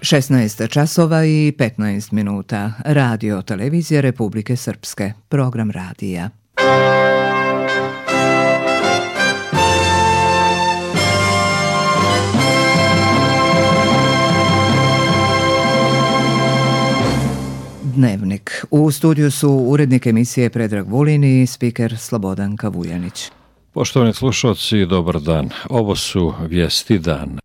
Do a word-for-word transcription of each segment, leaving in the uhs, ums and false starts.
šesnaest časova i petnaest minuta. Radio televizija Republike Srpske. Program radija. Dnevnik. U studiju su urednik emisije Predrag Vulin i spiker Slobodanka Vujanić. Poštovani slušalci, dobar dan. Ovo su vijesti dana.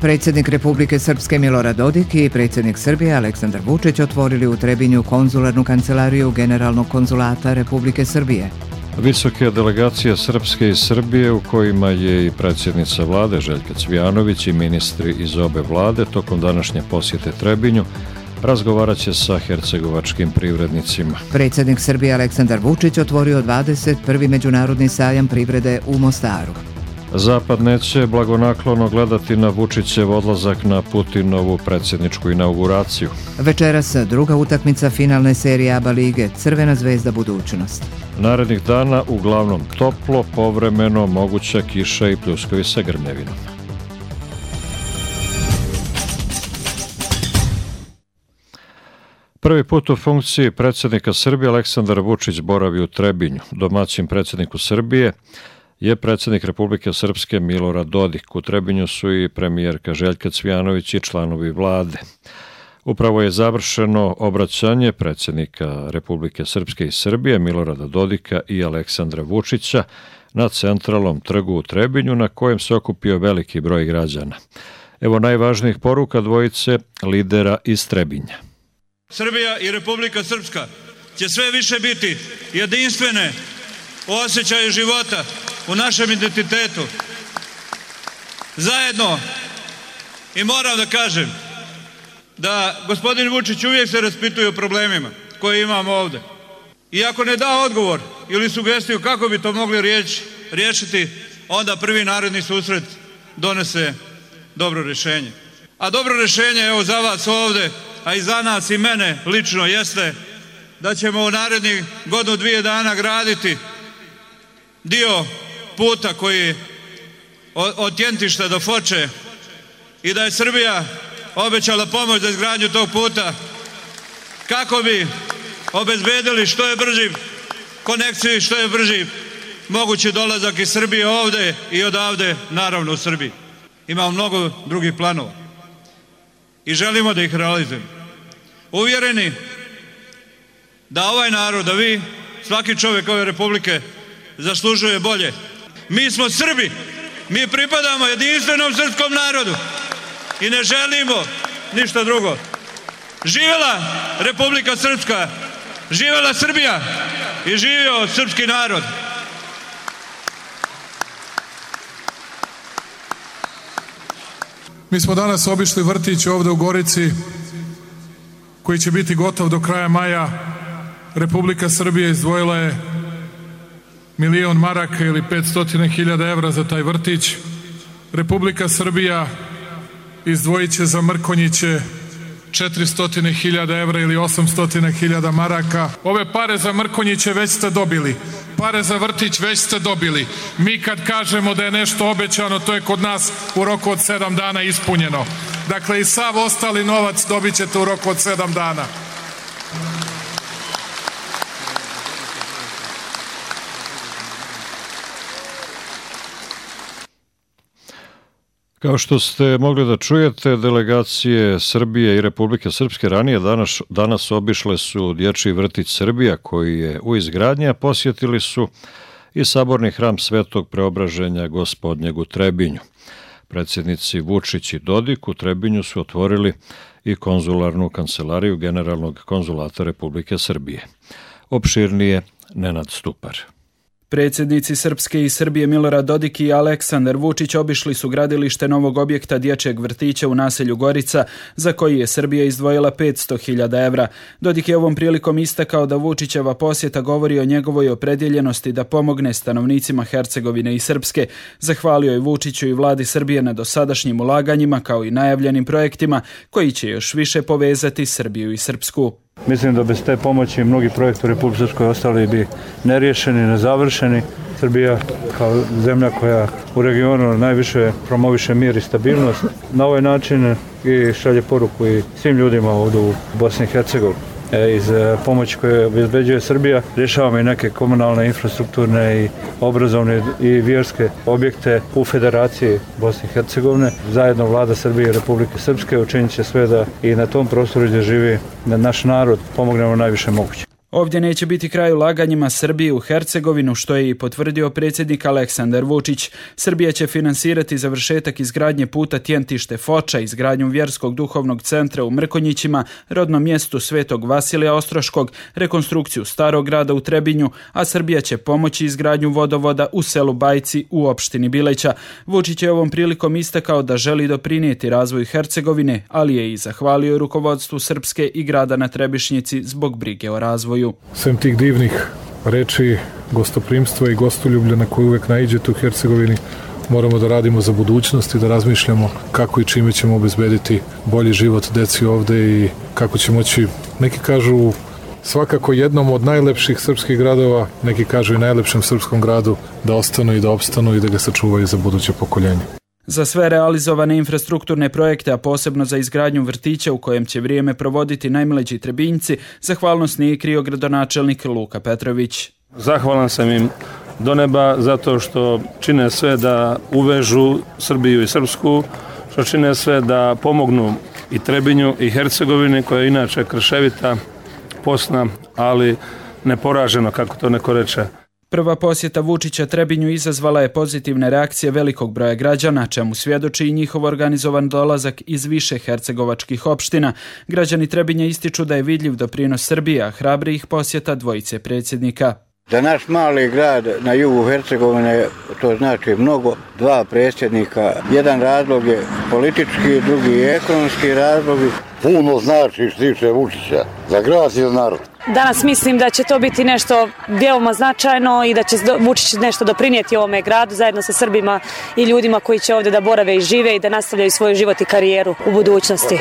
Predsjednik Republike Srpske Milorad Dodik i predsjednik Srbije Aleksandar Vučić otvorili u Trebinju konzularnu kancelariju Generalnog konzulata Republike Srbije. Visoke delegacije Srpske i Srbije, u kojima je i predsjednica vlade Željka Cvijanović i ministri iz obe vlade, tokom današnje posjete Trebinju razgovarat će sa hercegovačkim privrednicima. Predsjednik Srbije Aleksandar Vučić otvorio dvadeset prvi međunarodni sajam privrede u Mostaru. Zapad neće blagonaklono gledati na Vučićev odlazak na Putinovu predsjedničku inauguraciju. Večeras druga utakmica finalne serije A B A lige Crvena zvezda budućnost. Narednih dana uglavnom toplo, povremeno moguća kiša i pljuskovi sa grmljavinom. Prvi put u funkciji predsjednika Srbije Aleksandar Vučić boravi u Trebinju. Domaćin predsjedniku Srbije je predsjednik Republike Srpske Milorad Dodik. U Trebinju su i premijerka Željka Cvijanović i članovi vlade. Upravo je završeno obraćanje predsjednika Republike Srpske i Srbije Milorada Dodika i Aleksandra Vučića na centralnom trgu u Trebinju, na kojem se okupio veliki broj građana. Evo najvažnijih poruka dvojice lidera iz Trebinja. Srbija i Republika Srpska će sve više biti jedinstvene u osjećaju života, u našem identitetu. Zajedno, i moram da kažem da gospodin Vučić uvijek se raspituje o problemima koje imamo ovdje. I ako ne da odgovor ili sugestiju kako bi to mogli riječ, riješiti, onda prvi naredni susret donese dobro rješenje. A dobro rješenje, evo za vas ovdje, a i za nas i mene lično, jeste da ćemo u narednih godinu dvije dana graditi dio puta koji od Tjentišta do Foče i da je Srbija obećala pomoć za izgradnju tog puta kako bi obezbedili što je brži konekciju i što je brži mogući dolazak iz Srbije ovdje i odavde, naravno u Srbiji. Imamo mnogo drugih planova i želimo da ih realizujemo. Uvjereni da ovaj narod, da vi, svaki čovjek ove republike zaslužuje bolje. Mi smo Srbi, mi pripadamo jedinstvenom srpskom narodu i ne želimo ništa drugo. Živjela Republika Srpska, živjela Srbija i živio srpski narod. Mi smo danas obišli vrtić ovdje u Gorici koji će biti gotov do kraja maja. Republika Srbija izdvojila je milion maraka ili petsto hiljada evra za taj vrtić. Republika Srbija izdvojit će za Mrkonjiće četiristo hiljada evra ili osamsto hiljada maraka. Ove pare za Mrkonjiće već ste dobili. Pare za vrtić već ste dobili. Mi kad kažemo da je nešto obećano, to je kod nas u roku od sedam dana ispunjeno. Dakle, i sav ostali novac dobit ćete u roku od sedam dana. Kao što ste mogli da čujete, delegacije Srbije i Republike Srpske ranije danas, danas obišle su dječji vrtić Srbija koji je u izgradnji, a posjetili su i saborni hram Svetog Preobraženja Gospodnjeg u Trebinju. Predsjednici Vučić i Dodik u Trebinju su otvorili i konzularnu kancelariju Generalnog konzulata Republike Srbije. Opširnije Nenad Stupar. Predsjednici Srpske i Srbije Milorad Dodik i Aleksandar Vučić obišli su gradilište novog objekta dječjeg vrtića u naselju Gorica, za koji je Srbija izdvojila petsto hiljada evra. Dodik je ovom prilikom istakao da Vučićeva posjeta govori o njegovoj opredjeljenosti da pomogne stanovnicima Hercegovine i Srpske. Zahvalio je Vučiću i vladi Srbije na dosadašnjim ulaganjima kao i najavljenim projektima koji će još više povezati Srbiju i Srpsku. Mislim da bez te pomoći mnogi projekti u Republici Srpskoj ostali bi neriješeni, nezavršeni. Srbija kao zemlja koja u regionu najviše promoviše mir i stabilnost, na ovaj način i šalje poruku i svim ljudima ovdje u Bosni i Hercegovini. Iz pomoći koje obezbeđuje Srbija rješavamo i neke komunalne, infrastrukturne i obrazovne i vjerske objekte u Federaciji Bosne i Hercegovine. Zajedno Vlada Srbije i Republike Srpske učinit će sve da i na tom prostoru gdje živi naš narod pomognemo najviše moguće. Ovdje neće biti kraj ulaganjima Srbije u Hercegovinu, što je i potvrdio predsjednik Aleksandar Vučić. Srbija će finansirati završetak izgradnje puta Tjentište-Foča, izgradnju vjerskog duhovnog centra u Mrkonjićima, rodnom mjestu Svetog Vasilija Ostroškog, rekonstrukciju Starog grada u Trebinju, a Srbija će pomoći izgradnju vodovoda u selu Bajci u opštini Bileća. Vučić je ovom prilikom istakao da želi doprinijeti razvoju Hercegovine, ali je i zahvalio rukovodstvu Srpske i grada na Trebišnjici zbog brige o razvoju. Sem tih divnih reči, gostoprimstva i gostoljublja na koje uvek naiđete u Hercegovini, moramo da radimo za budućnost i da razmišljamo kako i čime ćemo obezbediti bolji život deci ovde i kako će moći, neki kažu svakako jednom od najlepših srpskih gradova, neki kažu i najlepšem srpskom gradu, da ostanu i da opstanu i da ga sačuvaju za buduće pokoljenje. Za sve realizovane infrastrukturne projekte, a posebno za izgradnju vrtića u kojem će vrijeme provoditi najmlađi Trebinjci, zahvalnost nije krio gradonačelnik Luka Petrović. Zahvalan sam im do neba zato što čine sve da uvežu Srbiju i Srpsku, što čine sve da pomognu i Trebinju i Hercegovini, koja je inače krševita, posna, ali neporaženo, kako to neko reče. Prva posjeta Vučića Trebinju izazvala je pozitivne reakcije velikog broja građana, čemu svjedoči i njihov organizovan dolazak iz više hercegovačkih opština. Građani Trebinja ističu da je vidljiv doprinos Srbije, a hrabri ih posjeta dvojice predsjednika. Za naš mali grad na jugu Hercegovine to znači mnogo, dva predsjednika. Jedan razlog je politički, drugi je ekonomski razlog. Puno znači što tiče Vučića za grad i za narod. Danas mislim da će to biti nešto veoma značajno i da će Vučić nešto doprinijeti ovome gradu zajedno sa Srbima i ljudima koji će ovdje da borave i žive i da nastavljaju svoj život i karijeru u budućnosti.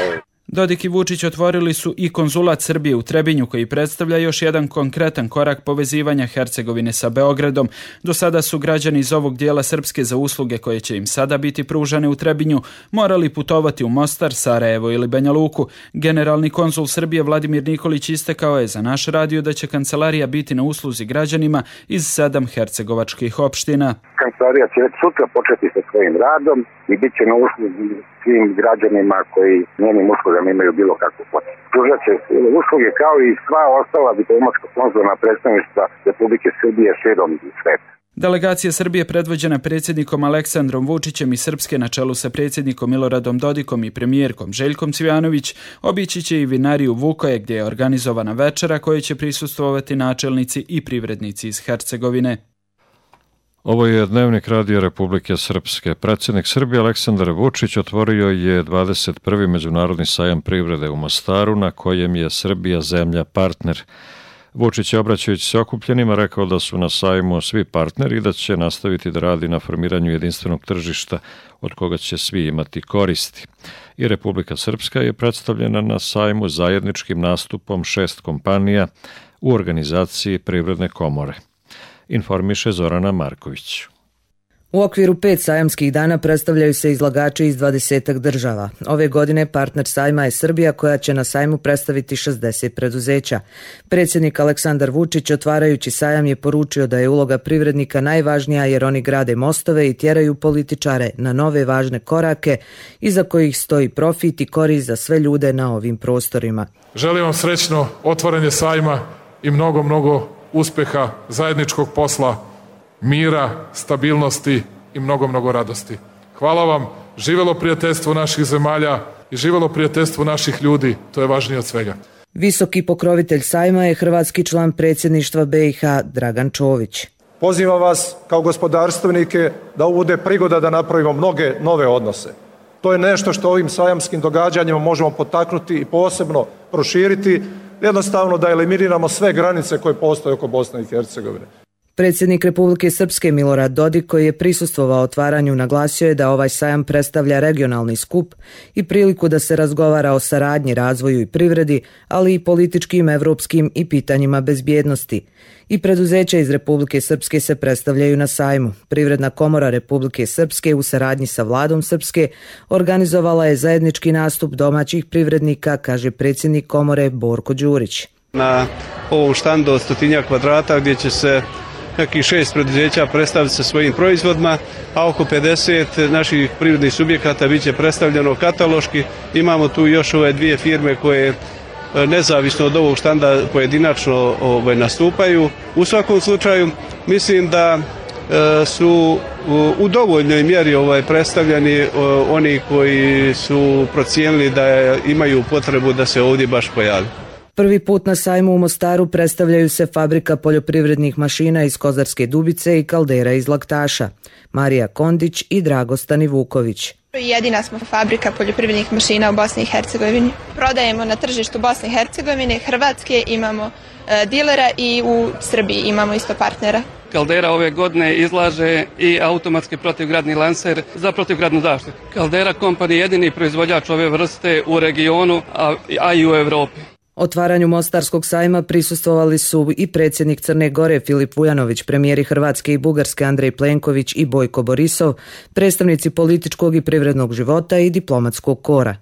Dodik i Vučić otvorili su i konzulat Srbije u Trebinju, koji predstavlja još jedan konkretan korak povezivanja Hercegovine sa Beogradom. Do sada su građani iz ovog dijela Srpske za usluge koje će im sada biti pružane u Trebinju morali putovati u Mostar, Sarajevo ili Banja Luku. Generalni konzul Srbije Vladimir Nikolić istakao je za naš radio da će kancelarija biti na usluzi građanima iz sedam hercegovačkih opština. Kancelarija će već sutra početi sa svojim radom i bit će na usluzi svim građanima koji njenim uslugama imaju bilo kakvu potrebu. Pružat će usluge kao i sva ostala diplomatsko-konzularna predstavništva Republike Srbije širom sveta. Delegacija Srbije predvođena predsjednikom Aleksandrom Vučićem i Srpske na čelu sa predsjednikom Miloradom Dodikom i premijerkom Željkom Cvijanović obići će i vinariju Vukoje, gdje je organizovana večera kojoj će prisustvovati načelnici i privrednici iz Hercegovine. Ovo je Dnevnik Radija Republike Srpske. Predsjednik Srbije Aleksandar Vučić otvorio je dvadeset prvi međunarodni sajam privrede u Mostaru, na kojem je Srbija zemlja partner. Vučić je, obraćajući se okupljenima, rekao da su na sajmu svi partneri i da će nastaviti da radi na formiranju jedinstvenog tržišta od koga će svi imati koristi. I Republika Srpska je predstavljena na sajmu zajedničkim nastupom šest kompanija u organizaciji Privredne komore. Informiše Zorana Marković. U okviru pet sajamskih dana predstavljaju se izlagači iz dvadesetak država. Ove godine partner sajma je Srbija, koja će na sajmu predstaviti šezdeset preduzeća. Predsjednik Aleksandar Vučić, otvarajući sajam, je poručio da je uloga privrednika najvažnija jer oni grade mostove i tjeraju političare na nove važne korake iza kojih stoji profit i korist za sve ljude na ovim prostorima. Želim vam srećno otvaranje sajma i mnogo, mnogo uspeha, zajedničkog posla, mira, stabilnosti i mnogo, mnogo radosti. Hvala vam, živelo prijateljstvo naših zemalja i živelo prijateljstvo naših ljudi, to je važnije od svega. Visoki pokrovitelj sajma je hrvatski član predsjedništva be i ha Dragan Čović. Pozivam vas kao gospodarstvenike da ovo bude prigoda da napravimo mnoge nove odnose. To je nešto što ovim sajamskim događanjima možemo potaknuti i posebno proširiti, jednostavno da eliminiramo sve granice koje postoje oko Bosne i Hercegovine. Predsjednik Republike Srpske Milorad Dodik, koji je prisustvovao otvaranju, naglasio je da ovaj sajam predstavlja regionalni skup i priliku da se razgovara o saradnji, razvoju i privredi, ali i političkim, evropskim i pitanjima bezbjednosti. I preduzeća iz Republike Srpske se predstavljaju na sajmu. Privredna komora Republike Srpske u saradnji sa vladom Srpske organizovala je zajednički nastup domaćih privrednika, kaže predsjednik komore Borko Đurić. Na ovom štandu od stotinjak kvadrata gdje će se nekih šest preduzeća predstaviti sa svojim proizvodima, a oko pedeset naših privrednih subjekata bit će predstavljeno kataloški. Imamo tu još ove dvije firme koje nezavisno od ovog štanda pojedinačno ovaj, nastupaju. U svakom slučaju mislim da e, su u dovoljnoj mjeri ovaj, predstavljeni o, oni koji su procijenili da imaju potrebu da se ovdje baš pojavi. Prvi put na sajmu u Mostaru predstavljaju se fabrika poljoprivrednih mašina iz Kozarske Dubice i Kaldera iz Laktaša, Marija Kondić i Dragostani Vuković. Jedina smo fabrika poljoprivrednih mašina u Bosni i Hercegovini. Prodajemo na tržištu Bosne i Hercegovine, Hrvatske, imamo e, dilera i u Srbiji imamo isto partnera. Kaldera ove godine izlaže i automatski protivgradni lancer za protivgradnu zaštitu. Kaldera Company je jedini proizvođač ove vrste u regionu, a, a i u Evropi. Otvaranju Mostarskog sajma prisustvovali su i predsjednik Crne Gore Filip Vujanović, premijeri Hrvatske i Bugarske Andrej Plenković i Bojko Borisov, predstavnici političkog i privrednog života i diplomatskog kora.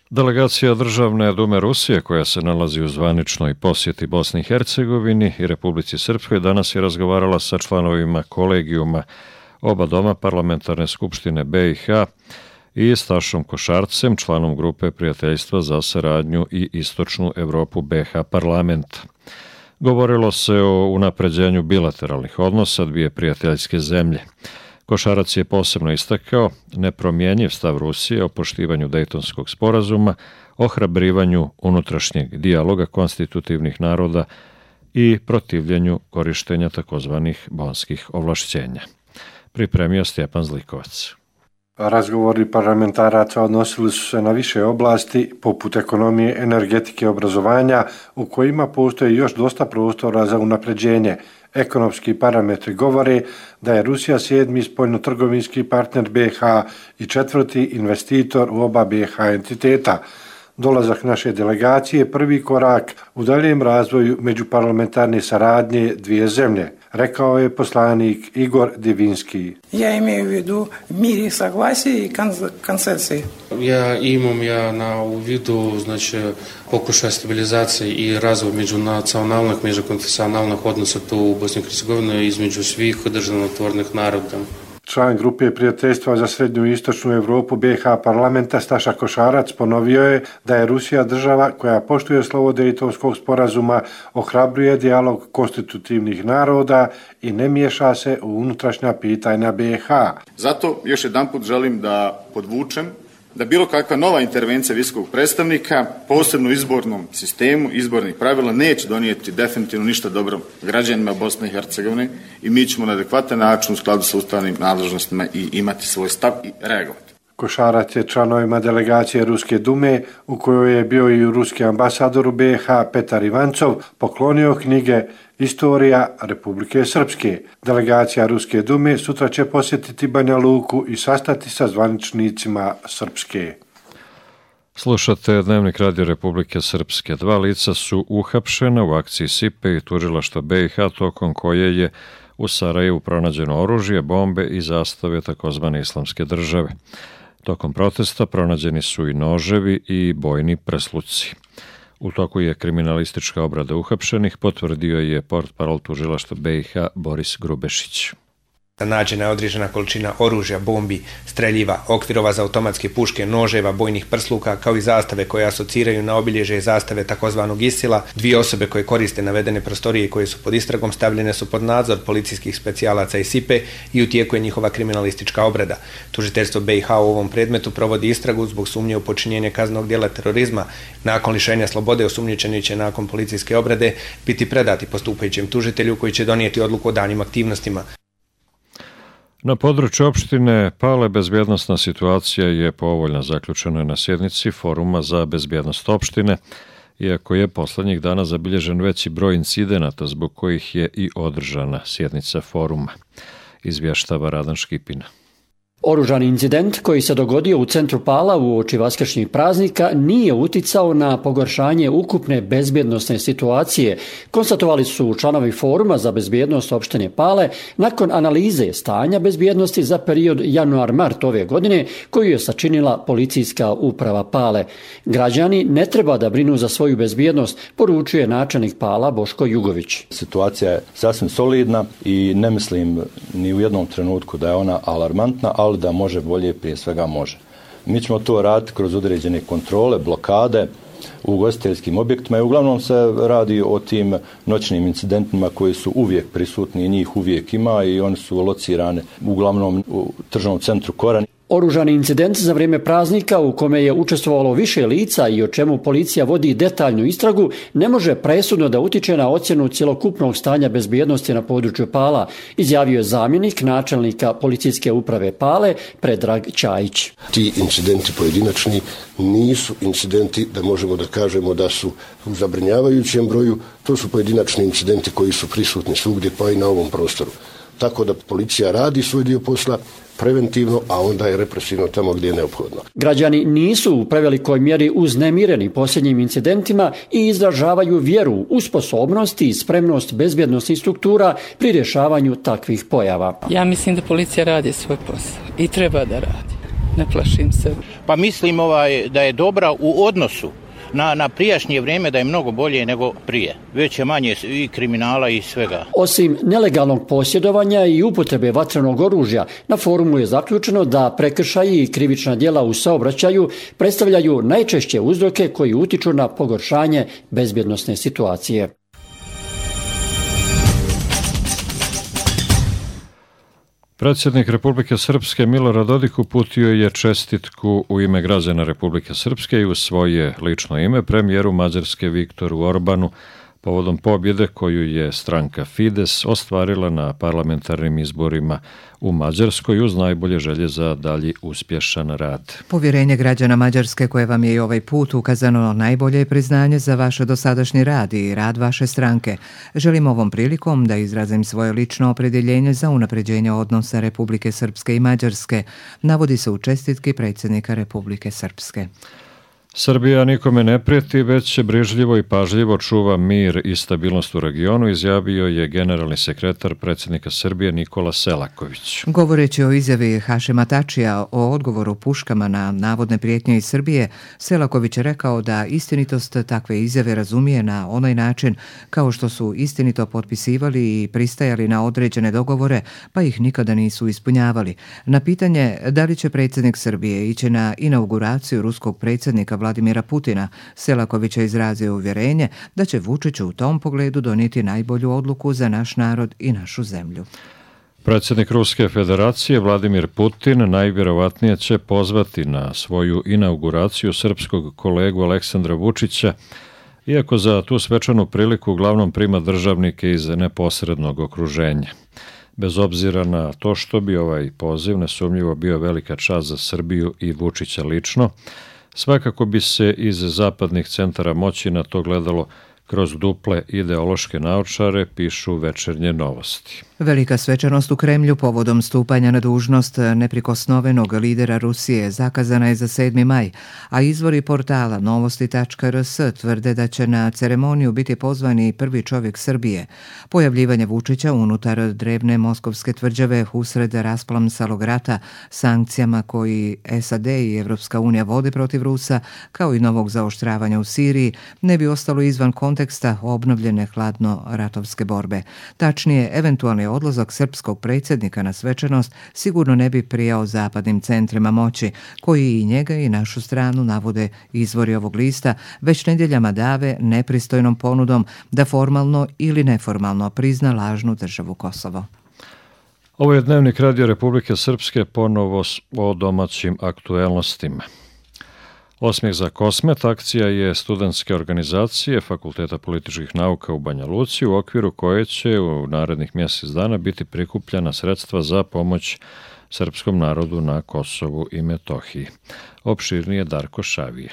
Delegacija Državne dume Rusije, koja se nalazi u zvaničnoj posjeti Bosni i Hercegovini i Republici Srpskoj, danas je razgovarala sa članovima kolegijuma oba doma Parlamentarne skupštine be i ha i Stašom Košarcem, članom grupe Prijateljstva za saradnju i Istočnu Evropu be ha parlamenta. Govorilo se o unapređenju bilateralnih odnosa dvije prijateljske zemlje. Košarac je posebno istakao nepromjenjiv stav Rusije o poštivanju Dejtonskog sporazuma, ohrabrivanju unutrašnjeg dijaloga konstitutivnih naroda i protivljenju korištenja takozvanih bonskih ovlašćenja. Pripremio Stjepan Zlikovac. Razgovori parlamentaraca odnosili su se na više oblasti, poput ekonomije, energetike i obrazovanja, u kojima postoji još dosta prostora za unapređenje. Ekonomski parametri govore da je Rusija sedmi spoljnotrgovinski partner be ha i četvrti investitor u oba be ha entiteta. Dolazak naše delegacije je prvi korak u daljem razvoju međuparlamentarne saradnje dvije zemlje, rekao je poslanik Igor Divinski. Ja imam u vidu mir i saglasje i konsensus. Ja imam ja na u vidu znači pokušaj stabilizacije i razvoj međunacionalnih, međukonfesionalnih odnosa tu u Bosni i Hercegovini između svih državotvornih naroda. Član grupe Prijateljstva za srednju i istočnu Evropu be ha parlamenta Staša Košarac ponovio je da je Rusija država koja poštuje slovo Dejtonskog sporazuma, ohrabruje dijalog konstitutivnih naroda i ne miješa se u unutrašnja pitanja be ha. Zato još jedanput želim da podvučem da bilo kakva nova intervencija visokog predstavnika, posebno u izbornom sistemu, izbornih pravila, neće donijeti definitivno ništa dobro građanima Bosne i Hercegovine i mi ćemo na adekvatan način u skladu sa ustavnim nadležnostima i imati svoj stav i reagovati. Košarac je članovima delegacije Ruske dume, u kojoj je bio i ruski ambasador u be ha Petar Ivancov, poklonio knjige Istorija Republike Srpske. Delegacija Ruske dume sutra će posjetiti Banja Luku i sastati sa zvaničnicima Srpske. Slušate Dnevnik Radio Republike Srpske. Dva lica su uhapšena u akciji Sipe i tužilaštva be i ha, tokom koje je u Sarajevu pronađeno oružje, bombe i zastave takozvane islamske države. Tokom protesta pronađeni su i noževi i bojni presluci. U toku je kriminalistička obrada uhapšenih, potvrdio je portparol tužilaštva be i ha Boris Grubešić. Nađena je određena količina oružja, bombi, streljiva, okvirova za automatske puške, noževa, bojnih prsluka, kao i zastave koje asociraju na obilježje zastave takozvanog Isila. Dvije osobe koje koriste navedene prostorije i koje su pod istragom stavljene su pod nadzor policijskih specijalaca i Sipe i u tijeku je njihova kriminalistička obrada. Tužiteljstvo be i ha u ovom predmetu provodi istragu zbog sumnje u počinjenje kaznenog djela terorizma. Nakon lišenja slobode osumnjičeni će nakon policijske obrade biti predati postupajućem tužitelju koji će donijeti odluku o daljnjim aktivnostima. Na području opštine Pale bezbjednosna situacija je povoljna, zaključena na sjednici Foruma za bezbjednost opštine iako je poslednjih dana zabilježen veći broj incidenata zbog kojih je i održana sjednica foruma, izvještava Radan Škipina. Oružani incident koji se dogodio u centru Pala uoči vaskršnjih praznika nije uticao na pogoršanje ukupne bezbjednosne situacije, konstatovali su članovi Foruma za bezbjednost opštine Pale nakon analize stanja bezbjednosti za period januar-mart ove godine koju je sačinila policijska uprava Pale. Građani ne treba da brinu za svoju bezbjednost, poručuje načelnik Pala Boško Jugović. Situacija je sasvim solidna i ne mislim ni u jednom trenutku da je ona alarmantna, ali da može bolje, prije svega može. Mi ćemo to raditi kroz određene kontrole, blokade u ugostiteljskim objektima i uglavnom se radi o tim noćnim incidentima koji su uvijek prisutni i njih uvijek ima i oni su locirani uglavnom u tržnom centru Koran. Oružani incident za vrijeme praznika u kome je učestvovalo više lica i o čemu policija vodi detaljnu istragu ne može presudno da utiče na ocjenu cjelokupnog stanja bezbjednosti na području Pala, izjavio je zamjenik načelnika policijske uprave Pale Predrag Čajić. Ti incidenti pojedinačni nisu incidenti da možemo da kažemo da su u zabrinjavajućem broju, to su pojedinačni incidenti koji su prisutni svugdje pa i na ovom prostoru. Tako da policija radi svoj dio posla preventivno, a onda je represivno tamo gdje je neophodno. Građani nisu u prevelikoj mjeri uznemireni posljednjim incidentima i izražavaju vjeru u sposobnosti i spremnost bezbjednosnih struktura pri rješavanju takvih pojava. Ja mislim da policija radi svoj posao i treba da radi. Ne plašim se. Pa mislim ovaj, da je dobra u odnosu Na, na prijašnje vrijeme, da je mnogo bolje nego prije. Već je manje i kriminala i svega. Osim nelegalnog posjedovanja i upotrebe vatrenog oružja, na forumu je zaključeno da prekršaji i krivična djela u saobraćaju predstavljaju najčešće uzroke koji utiču na pogoršanje bezbjednosne situacije. Predsjednik Republike Srpske Milorad Dodik uputio je čestitku u ime građana Republike Srpske i u svoje lično ime premijeru Mađarske Viktoru Orbanu povodom pobjede koju je stranka Fides ostvarila na parlamentarnim izborima u Mađarskoj uz najbolje želje za dalji uspješan rad. Povjerenje građana Mađarske koje vam je i ovaj put ukazano najbolje priznanje za vaš dosadašnji rad i rad vaše stranke. Želim ovom prilikom da izrazim svoje lično opredjeljenje za unapređenje odnosa Republike Srpske i Mađarske, navodi se u čestitki predsjednika Republike Srpske. Srbija nikome ne prijeti, već će brižljivo i pažljivo čuva mir i stabilnost u regionu, izjavio je generalni sekretar predsjednika Srbije Nikola Selaković. Govoreći o izjavi Hašima Tačija o odgovoru puškama na navodne prijetnje iz Srbije, Selaković je rekao da istinitost takve izjave razumije na onaj način kao što su istinito potpisivali i pristajali na određene dogovore, pa ih nikada nisu ispunjavali. Na pitanje da li će predsjednik Srbije ići na inauguraciju ruskog predsjednika Vladimira Putina, Selaković je izrazio uvjerenje da će Vučić u tom pogledu donijeti najbolju odluku za naš narod i našu zemlju. Predsjednik Ruske federacije Vladimir Putin najvjerovatnije će pozvati na svoju inauguraciju srpskog kolegu Aleksandra Vučića, iako za tu svečanu priliku uglavnom prima državnike iz neposrednog okruženja. Bez obzira na to što bi ovaj poziv nesumnjivo bio velika čast za Srbiju i Vučića lično, svakako bi se iz zapadnih centara moći na to gledalo kroz duple ideološke naočare, pišu Večernje novosti. Velika svečanost u Kremlju povodom stupanja na dužnost neprikosnovenog lidera Rusije zakazana je za sedmi maj, a izvori portala novosti tačka er es tvrde da će na ceremoniju biti pozvani prvi čovjek Srbije. Pojavljivanje Vučića unutar drevne moskovske tvrđave usred rasplamsalog rata, sankcijama koji es a de i Evropska unija vode protiv Rusa, kao i novog zaoštravanja u Siriji, ne bi ostalo izvan konteksta obnovljene hladno-ratovske borbe. Tačnije, eventualni odlazak srpskog predsjednika na svečanost sigurno ne bi prijao zapadnim centrima moći, koji i njega i našu stranu navode izvori ovog lista, već nedjeljama dave nepristojnom ponudom da formalno ili neformalno prizna lažnu državu Kosovo. Ovo je Dnevnik Radio Republike Srpske, ponovo o domaćim aktuelnostima. Osmijeh za Kosmet akcija je studentske organizacije Fakulteta političkih nauka u Banja Luci, u okviru koje će u narednih mjesec dana biti prikupljena sredstva za pomoć srpskom narodu na Kosovu i Metohiji. Opširnije Darko Šavije.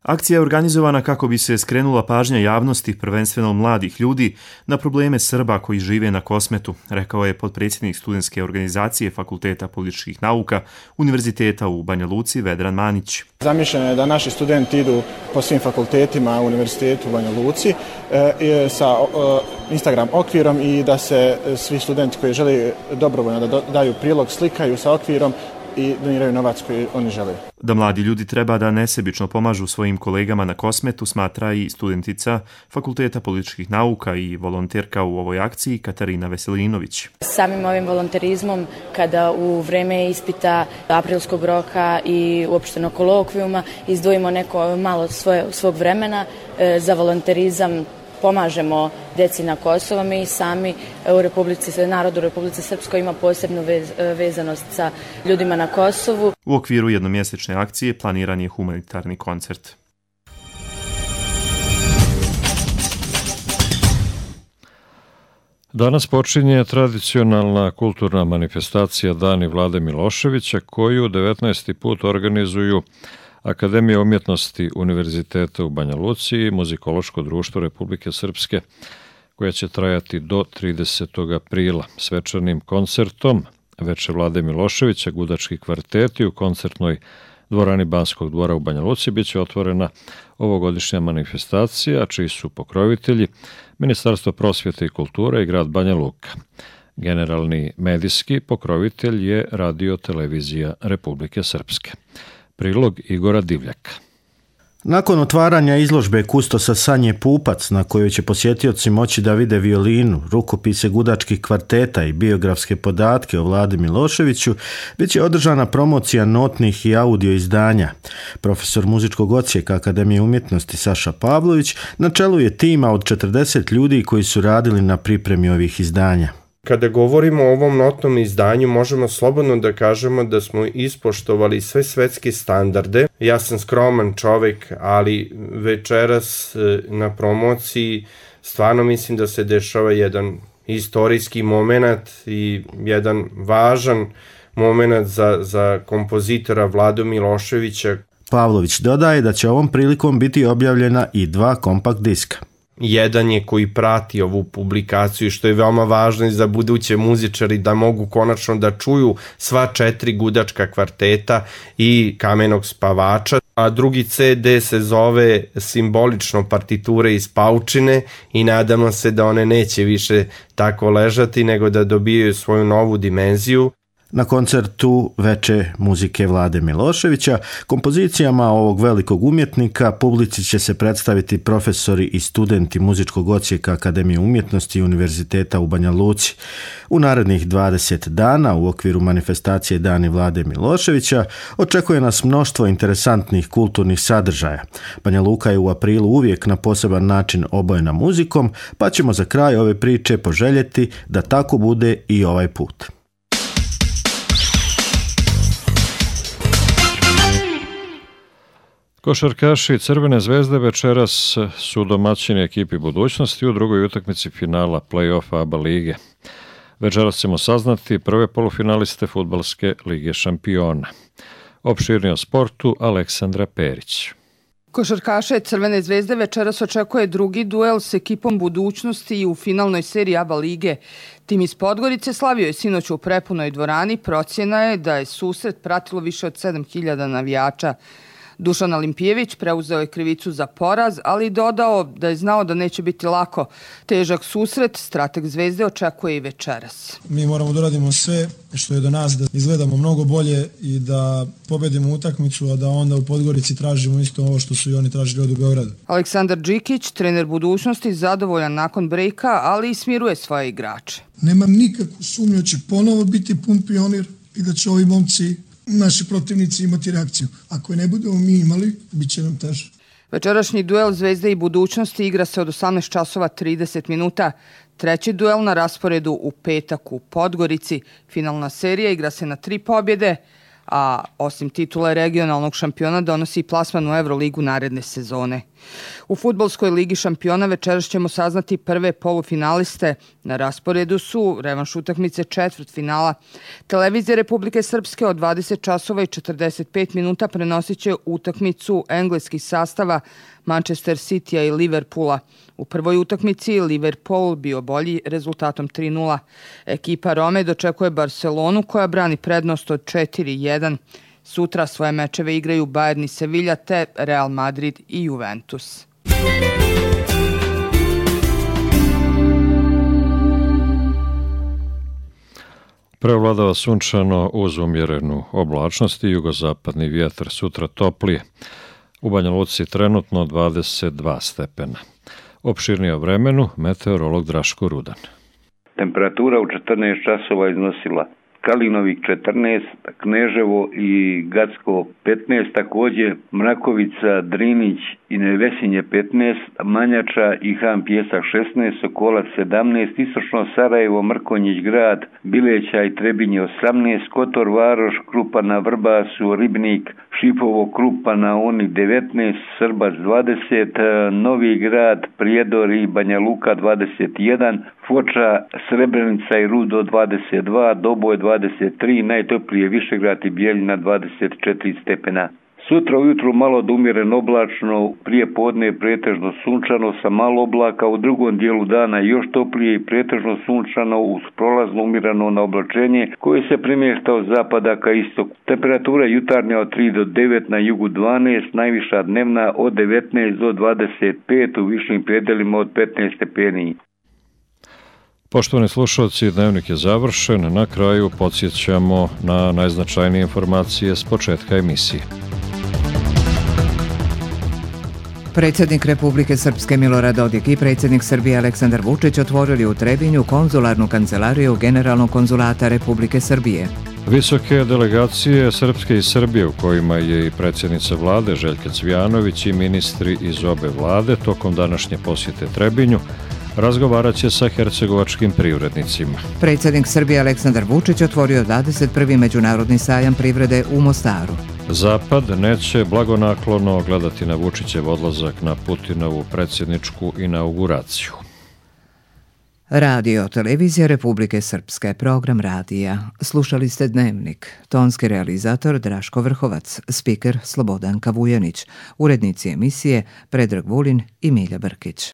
Akcija je organizovana kako bi se skrenula pažnja javnosti, prvenstveno mladih ljudi, na probleme Srba koji žive na Kosmetu, rekao je potpredsjednik studentske organizacije Fakulteta političkih nauka Univerziteta u Banja Luci Vedran Manić. Zamišljeno je da naši studenti idu po svim fakultetima u Univerzitetu u Banja Luci e, sa e, Instagram okvirom i da se svi studenti koji žele dobrovoljno da daju prilog slikaju sa okvirom i doniraju novac koji oni žele. Da mladi ljudi treba da nesebično pomažu svojim kolegama na Kosmetu, smatra i studentica Fakulteta političkih nauka i volonterka u ovoj akciji Katarina Veselinović. Samim ovim volonterizmom, kada u vreme ispita aprilskog roka i uopšteno kolokvijuma izdvojimo neko malo svoje, svog vremena e, za volonterizam, pomažemo deci na Kosovu, mi sami u Republici, narod u Republici Srpskoj ima posebnu vez, vezanost sa ljudima na Kosovu. U okviru jednomjesečne akcije planiran je humanitarni koncert. Danas počinje tradicionalna kulturna manifestacija Dani Vlade Miloševića, koju devetnaesti put organizuju Akademija umjetnosti Univerziteta u Banja Luci i Muzikološko društvo Republike Srpske, koja će trajati do tridesetog aprila. Svečanim koncertom Veče Vlade Miloševića, gudački kvarteti u koncertnoj dvorani Banskog dvora u Banja Luci biće otvorena ovogodišnja manifestacija, čiji su pokrovitelji Ministarstvo prosvjete i kulture i grad Banja Luka. Generalni medijski pokrovitelj je Radio Televizija Republike Srpske. Prilog Igora Divljaka. Nakon otvaranja izložbe kustosa Sanje Pupac, na kojoj će posjetioci moći da vide violinu, rukopise gudačkih kvarteta i biografske podatke o Vladi Miloševiću, bit će održana promocija notnih i audio izdanja. Profesor muzičkog odsjeka Akademije umjetnosti Saša Pavlović na čelu je tima od četrdeset ljudi koji su radili na pripremi ovih izdanja. Kada govorimo o ovom notnom izdanju, možemo slobodno da kažemo da smo ispoštovali sve svetske standarde. Ja sam skroman čovjek, ali večeras na promociji stvarno mislim da se dešava jedan istorijski moment i jedan važan moment za, za kompozitora Vladu Miloševića. Pavlović dodaje da će ovom prilikom biti objavljena i dva kompakt diska. Jedan je koji prati ovu publikaciju, što je veoma važno i za buduće muzičari da mogu konačno da čuju sva četiri gudačka kvarteta i Kamenog spavača, a drugi ce de se zove simbolično partiture iz paučine i nadamo se da one neće više tako ležati, nego da dobijaju svoju novu dimenziju. Na koncertu Veče muzike Vlade Miloševića, kompozicijama ovog velikog umjetnika publici će se predstaviti profesori i studenti muzičkog odsjeka Akademije umjetnosti i Univerziteta u Banja Luci. U narednih dvadeset dana u okviru manifestacije Dani Vlade Miloševića očekuje nas mnoštvo interesantnih kulturnih sadržaja. Banja Luka je u aprilu uvijek na poseban način obojena muzikom, pa ćemo za kraj ove priče poželjeti da tako bude i ovaj put. Košarkaši Crvene zvezde večeras su domaćini ekipi budućnosti u drugoj utakmici finala play-offa A B A lige. Večeras ćemo saznati prve polufinaliste Fudbalske lige šampiona. Opširnije o sportu Aleksandra Perić. Košarkaše Crvene zvezde večeras očekuje drugi duel s ekipom budućnosti i u finalnoj seriji A B A lige. Tim iz Podgorice slavio je sinoć u prepunoj dvorani. Procjena je da je susret pratilo više od sedam hiljada navijača. Dušan Olimpijević preuzeo je krivicu za poraz, ali dodao da je znao da neće biti lako. Težak susret strateg Zvezde očekuje i večeras. Mi moramo da radimo sve što je do nas, da izgledamo mnogo bolje i da pobedimo utakmicu, a da onda u Podgorici tražimo isto ovo što su i oni tražili od u Beogradu. Aleksandar Đikić, trener budućnosti, zadovoljan nakon brejka, ali i smiruje svoje igrače. Nemam nikakvu sumnju da će ponovo biti pun pionir i da će ovi momci, naši protivnici, imati reakciju. Ako je ne budemo mi imali, bit će nam teže. Večerašnji duel Zvezde i budućnosti igra se od osamnaest časova trideset minuta. Treći duel na rasporedu u petak u Podgorici. Finalna serija igra se na tri pobjede, a osim titule regionalnog šampiona donosi i plasman u Euroligu naredne sezone. U fudbalskoj ligi šampiona večeras ćemo saznati prve polufinaliste. Na rasporedu su revanš utakmice četvrtfinala. Televizija Republike Srpske od dvadeset časova i četrdeset pet minuta prenosit će utakmicu engleskih sastava Manchester Citya i Liverpoola. U prvoj utakmici Liverpool bio bolji rezultatom tri nula. Ekipa Rome dočekuje Barcelonu koja brani prednost od četiri jedan. Sutra svoje mečeve igraju Bayern i Sevilla te Real Madrid i Juventus. Preovladava sunčano uz umjerenu oblačnost i jugozapadni vjetar, sutra toplije. U Banja Luci trenutno dvadeset dva stepena. Opširnije o vremenu meteorolog Draško Rudan. Temperatura u četrnaest časova iznosila Kalinovik četrnaest, Kneževo i Gacko petnaest, također Mrakovica, Drinić i Nevesinje petnaest, Manjača i Han Pjesak šesnaest, Sokolac sedamnaest, Istočno Sarajevo, Mrkonjić grad, Bileća i Trebinje osamnaest, Kotor Varoš, Krupana, Vrbasu, Ribnik, Šipovo, Krupana, Oni devetnaest, Srbac dvadeset, Novi grad, Prijedor i Banja Luka dvadeset jedan, Foča, Srebrenica i Rudo dvadeset dva, Doboj dvadeset tri, najtoplije Višegrad i Bijeljina dvadeset četiri stepena. Sutra ujutru malo do umjereno oblačno, prije podne pretežno sunčano sa malo oblaka, u drugom dijelu dana još toplije i pretežno sunčano uz prolazno umjereno na oblačenje koje se premješta od zapada ka istoku. Temperatura jutarnja od tri do devet, na jugu dvanaest, najviša dnevna od devetnaest do dvadeset pet, u višim predelima od petnaest stepeni. Poštovani slušalci, dnevnik je završen. Na kraju podsjećamo na najznačajnije informacije s početka emisije. Predsjednik Republike Srpske Milorad Dodik i predsjednik Srbije Aleksandar Vučić otvorili u Trebinju konzularnu kancelariju Generalnog konzulata Republike Srbije. Visoke delegacije Srpske i Srbije, u kojima je i predsjednica vlade Željka Cvijanović i ministri iz obe vlade tokom današnje posjete Trebinju, razgovarat će sa hercegovačkim privrednicima. Predsjednik Srbije Aleksandar Vučić otvorio dvadeset prvi međunarodni sajam privrede u Mostaru. Zapad neće blagonaklono gledati na Vučićev odlazak na Putinovu predsjedničku inauguraciju. Radio Televizija Republike Srpske, program radija. Slušali ste Dnevnik. Tonski realizator Draško Vrhovac, spiker Slobodanka Vujanić, urednici emisije Predrag Vulin i Milja Brkić.